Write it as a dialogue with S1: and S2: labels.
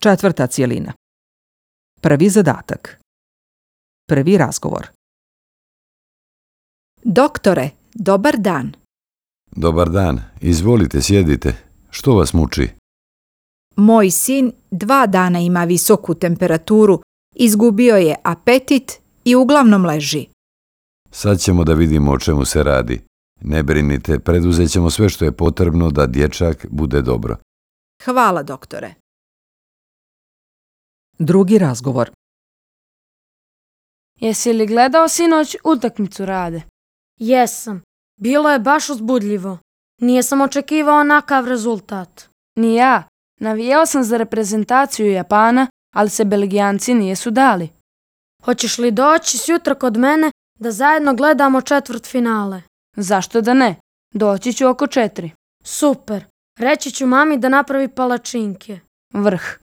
S1: Četvrta cijelina. Prvi zadatak. Prvi razgovor.
S2: Doktore, dobar dan.
S3: Dobar dan, izvolite, sjedite. Što vas muči?
S2: Moj sin 2 dana ima visoku temperaturu, izgubio je apetit i uglavnom leži.
S3: Sad ćemo da vidimo o čemu se radi. Ne brinite, preduzet ćemo sve što je potrebno da dječak bude dobro.
S2: Hvala, doktore.
S1: Drugi razgovor.
S4: Jesi li gledao sinoć utakmicu Rade?
S5: Jesam. Bilo je baš uzbudljivo. Nisam očekivao onakav rezultat.
S4: Ni ja. Navijao sam za reprezentaciju Japana, ali se Belgijanci nisu dali.
S5: Hoćeš li doći sjutra kod mene da zajedno gledamo četvrtfinale?
S4: Zašto da ne? Doći ću oko 4.
S5: Super. Reći ću mami da napravi palačinke.
S4: Vrh.